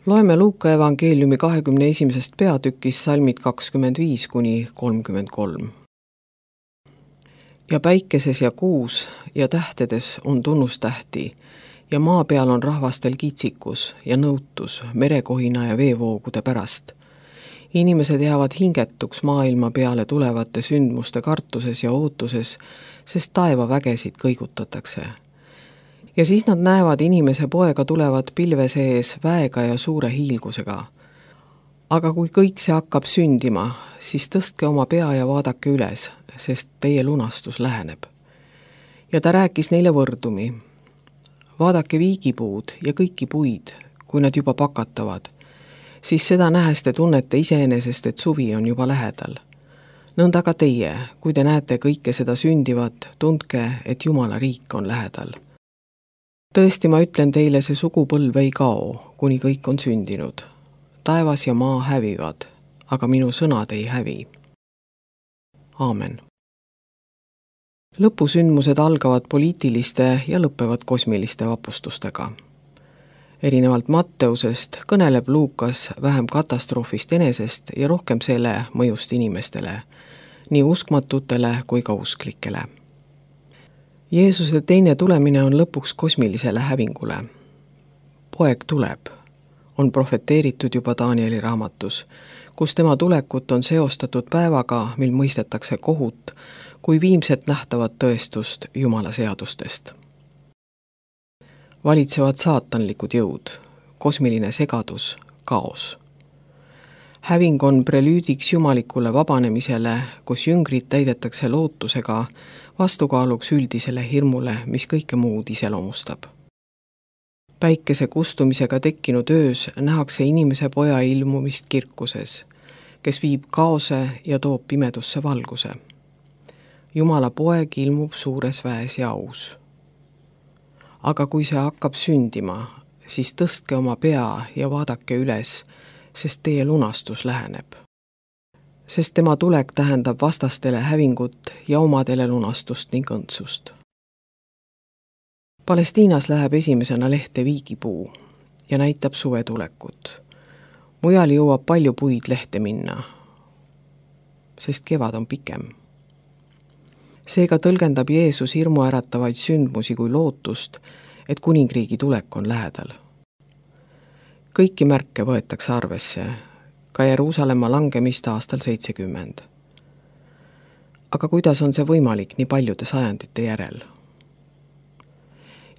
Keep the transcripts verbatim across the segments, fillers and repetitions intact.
Loeme Luuka evangeeliumi kahekümne esimesest peatükist salmid kakskümmend viis kuni kolmkümmend kolm. Ja päikeses ja kuus ja tähtedes on tunnustähti ja maa peal on rahvastel kitsikus ja nõutus merekohina ja veevoogude pärast. Inimesed jäävad hingetuks maailma peale tulevate sündmuste kartuses ja ootuses, sest taevavägesid kõigutatakse. Ja siis nad näevad inimese poega tulevat pilve sees väega ja suure hiilgusega. Aga kui kõik see hakkab sündima, siis tõstke oma pea ja vaadake üles, sest teie lunastus läheneb. Ja ta rääkis neile võrdumi. Vaadake viigipuud ja kõiki puid, kui nad juba pakatavad, siis seda nähes te tunnete iseenesest, et suvi on juba lähedal. Nõnda ka teie, kui te näete kõike seda sündivat, tundke, et Jumala riik on lähedal. Tõesti, ma ütlen teile, see sugupõlv ei kao, kuni kõik on sündinud. Taevas ja maa hävivad, aga minu sõnad ei hävi. Aamen. Lõpusündmused algavad poliitiliste ja lõppevad kosmiliste vapustustega. Erinevalt Matteusest kõneleb Luukas vähem katastroofist enesest ja rohkem selle mõjust inimestele, nii uskmatutele kui ka usklikele. Jeesuse teine tulemine on lõpuks kosmilisele hävingule. Poeg tuleb, on profeteeritud juba Danieli raamatus, kus tema tulekut on seostatud päevaga, mil mõistetakse kohut, kui viimset nähtavat tõestust Jumala seadustest. Valitsevad saatanlikud jõud, kosmiline segadus, kaos. Häving on prelüüdiks jumalikule vabanemisele, kus jüngrid täidetakse lootusega vastukaaluks üldisele hirmule, mis kõike muud iseloomustab. Päikese kustumisega tekkinud öös nähakse inimese poja ilmumist kirkuses, kes viib kaose ja toob pimedusse valguse. Jumala poeg ilmub suures väes ja aus. Aga kui see hakkab sündima, siis tõstke oma pea ja vaadake üles, sest teie lunastus läheneb. Sest tema tulek tähendab vastastele hävingut ja omadele lunastust ning õndsust. Palestiinas läheb esimesena lehte viigipuu ja näitab suve tulekut. Mujal jõuab palju puid lehte minna, sest kevad on pikem. Seega tõlgendab Jeesus hirmuäratavaid sündmusi kui lootust, et kuningriigi tulek on lähedal. Kõiki märke võetakse arvesse, ka Jeruusalemma langemist aastal seitsekümmend. Aga kuidas on see võimalik nii paljude sajandite järel?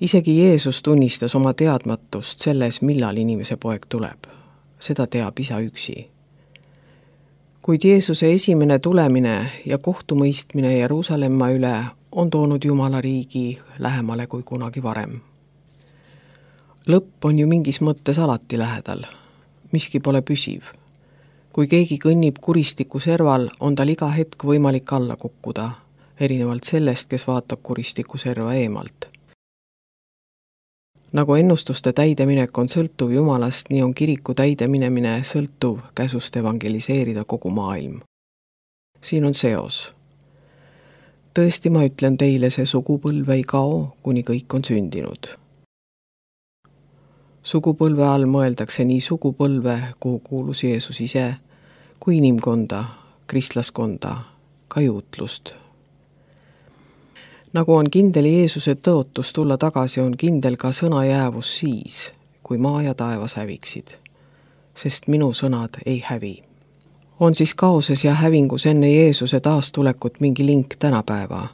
Isegi Jeesus tunnistas oma teadmatust selles, millal inimese poeg tuleb. Seda teab isa üksi. Kuid Jeesuse esimene tulemine ja kohtumõistmine Jeruusalemma üle on toonud Jumala riigi lähemale kui kunagi varem. Lõpp on ju mingis mõttes alati lähedal. Miski pole püsiv. Kui keegi kõnnib kuristiku serval, on tal iga hetk võimalik alla kukkuda, erinevalt sellest, kes vaatab kuristiku serva eemalt. Nagu ennustuste täideminek on sõltuv Jumalast, nii on kiriku täideminemine sõltuv käsust evangeliseerida kogu maailm. Siin on seos. Tõesti, ma ütlen teile, see sugupõlv ei kao, kuni kõik on sündinud. Sugupõlve all mõeldakse nii sugupõlve, kuhu kuulus Jeesus ise, kui inimkonda, kristlaskonda, ka juutlust. Nagu on kindel Jeesuse tõotus tulla tagasi, on kindel ka sõna jäävus siis, kui maa ja taevas häviksid. Sest minu sõnad ei hävi. On siis kaoses ja hävingus enne Jeesuse taastulekut mingi link tänapäeva?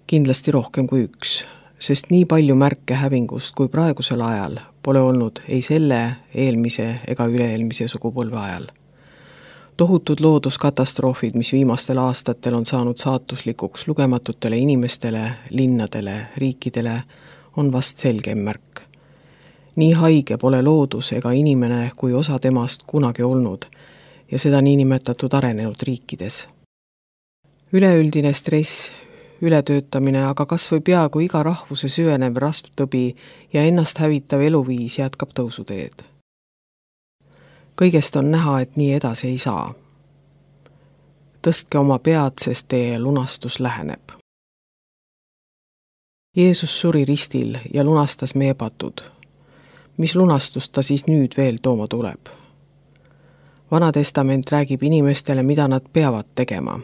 Kindlasti rohkem kui üks. Sest nii palju märke hävingust kui praegusel ajal pole olnud ei selle, eelmise ega üle-eelmise sugupõlve ajal. Tohutud looduskatastroofid, mis viimastel aastatel on saanud saatuslikuks lugematutele inimestele, linnadele, riikidele, on vast selgem märk. Nii haige pole loodus ega inimene kui osa temast kunagi olnud ja seda niinimetatud arenenud riikides. Üleüldine stress, ületöötamine, aga kas või peaaegu iga rahvuse süvenev rasvtõbi ja ennast hävitav eluviis jätkab tõusuteed. Kõigest on näha, et nii edasi ei saa. Tõstke oma pead, sest teie lunastus läheneb. Jeesus suri ristil ja lunastas meie patud. mis lunastust ta siis nüüd veel tooma tuleb? Vana testament räägib inimestele, mida nad peavad tegema,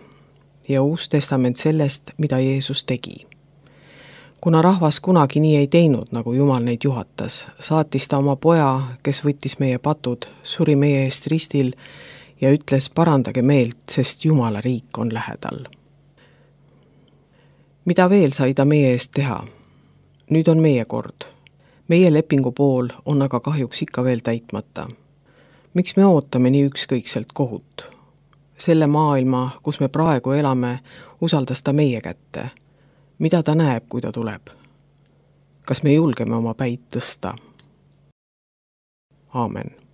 ja Uus testament sellest, mida Jeesus tegi. Kuna rahvas kunagi nii ei teinud, nagu Jumal neid juhatas, saatis ta oma poja, kes võttis meie patud, suri meie eest ristil ja ütles, parandage meelt, sest Jumala riik on lähedal. Mida veel sai ta meie eest teha? Nüüd on meie kord. Meie lepingu pool on aga kahjuks ikka veel täitmata. Miks me ootame nii ükskõikselt kohut? Selle maailma, kus me praegu elame, usaldas ta meie kätte. Mida ta näeb, kui ta tuleb? Kas me julgeme oma päid tõsta? Aamen.